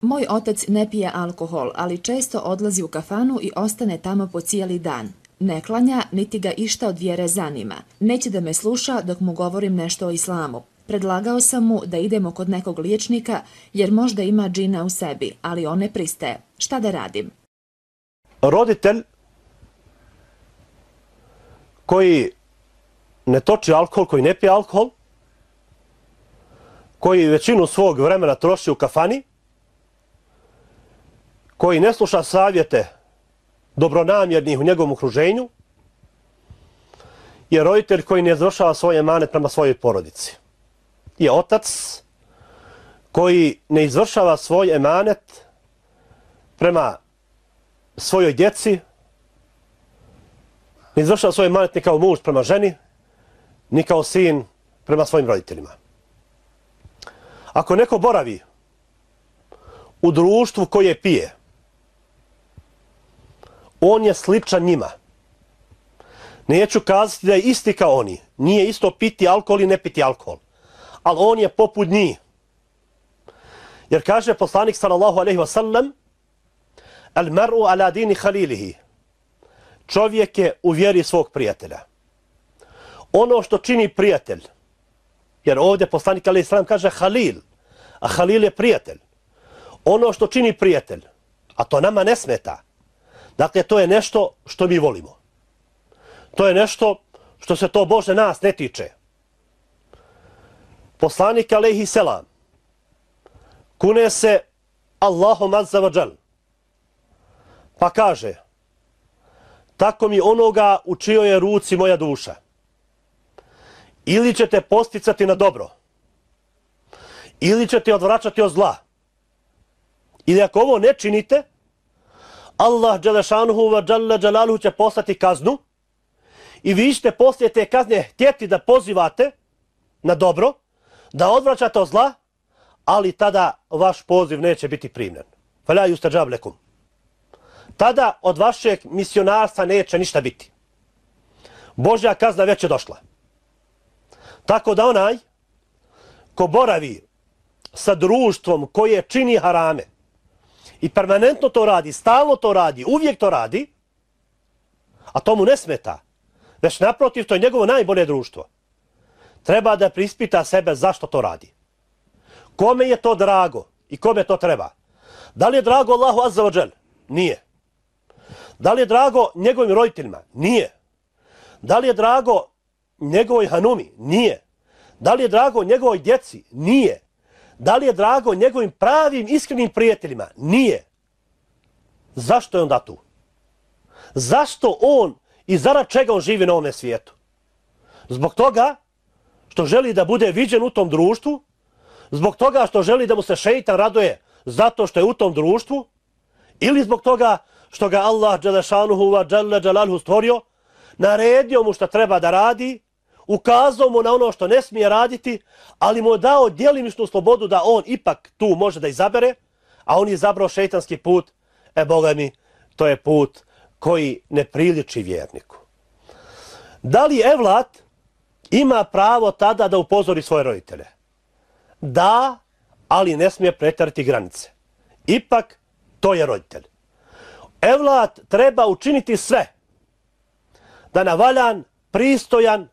Moj otac ne pije alkohol, ali često odlazi u kafanu i ostane tamo po cijeli dan. Ne klanja, niti ga išta od vjere zanima. Neće da me sluša dok mu govorim nešto o islamu. Predlagao sam mu da idemo kod nekog liječnika jer možda ima džina u sebi, ali on ne pristaje. Šta da radim? Roditelj koji ne toči alkohol, koji ne pije alkohol, koji većinu svog vremena troši u kafani, koji ne sluša savjete dobronamjernih u njegovom okruženju, je roditelj koji ne izvršava svoj emanet prema svojoj porodici. Je otac koji ne izvršava svoj emanet prema svojoj djeci, ne izvršava svoj emanet ni kao muž prema ženi, ni kao sin prema svojim roditeljima. Ako neko boravi u društvu koje pije, on je sličan njima. Neću kazati da je isti kao oni. Nije isto piti alkohol i ne piti alkohol. Ali on je poput njih. Jer kaže poslanik sallallahu alejhi ve sellem: "Al mar'u ala dini khalilihi." Čovjek je u vjeri svog prijatelja. Ono što čini prijatelj, jer ovdje poslanik alejhi selam kaže halil, a halil je prijatelj. Ono što čini prijatelj, a to nama ne smeta. Dakle, to je nešto što mi volimo. To je nešto što se to Bože nas ne tiče. Poslanik alejhi selam kune se Allahom azza wa džal, pa kaže: tako mi onoga u čijoj je ruci moja duša. Ili ćete posticati na dobro, ili ćete odvraćati od zla. Ili ako ovo ne činite, Allah dželešanuhu wa dželle dželaluhu će poslati kaznu i vi ćete poslije te kazne htjeti da pozivate na dobro, da odvraćate od zla, ali tada vaš poziv neće biti primljen. Fala yustajab lekum. Tada od vašeg misionarstva neće ništa biti. Božja kazna već je došla. Tako da onaj ko boravi sa društvom koje čini harame i permanentno to radi, stalno to radi, uvijek to radi, a to mu ne smeta, već naprotiv, to je njegovo najbolje društvo, treba da prispita sebe zašto to radi. Kome je to drago i kome to treba? Da li je drago Allahu azza wa džel? Nije. Da li je drago njegovim roditeljima? Nije. Da li je drago njegovoj hanumi? Nije. Da li je drago njegovoj djeci? Nije. Da li je drago njegovim pravim, iskrenim prijateljima? Nije. Zašto je onda tu? Zašto on i zarad čega on živi na ovome svijetu? Zbog toga što želi da bude viđen u tom društvu, zbog toga što želi da mu se šeitan raduje zato što je u tom društvu, ili zbog toga što ga Allah dželešanuhu wa dželle dželaluhu stvorio, naredio mu što treba da radi, ukazao mu na ono što ne smije raditi, ali mu je dao djelimičnu slobodu da on ipak tu može da izabere, a on je izabrao šeitanski put, Boga mi, to je put koji ne priliči vjerniku. Da li evlat ima pravo tada da upozori svoje roditelje? Da, ali ne smije pretjerati granice. Ipak, to je roditelj. Evlat treba učiniti sve da na valjan, pristojan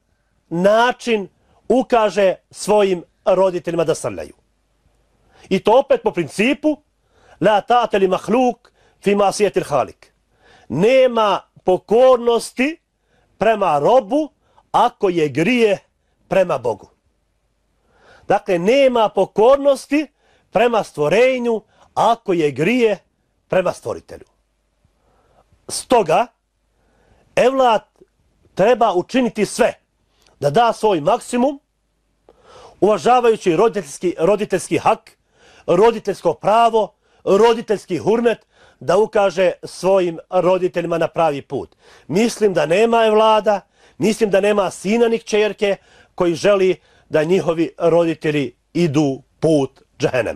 način ukaže svojim roditeljima da srljaju. I to opet po principu la ta'ate li mahluk fi masijetil halik. Nema pokornosti prema robu ako je grije prema Bogu. Dakle, nema pokornosti prema stvorenju ako je grije prema stvoritelju. Stoga, evlat treba učiniti sve da da svoj maksimum, uvažavajući roditeljski hak, roditeljsko pravo, roditeljski hurmet, da ukaže svojim roditeljima na pravi put. Mislim da nema evlada, mislim da nema sina ni kćerke koji želi da njihovi roditelji idu put džehennem.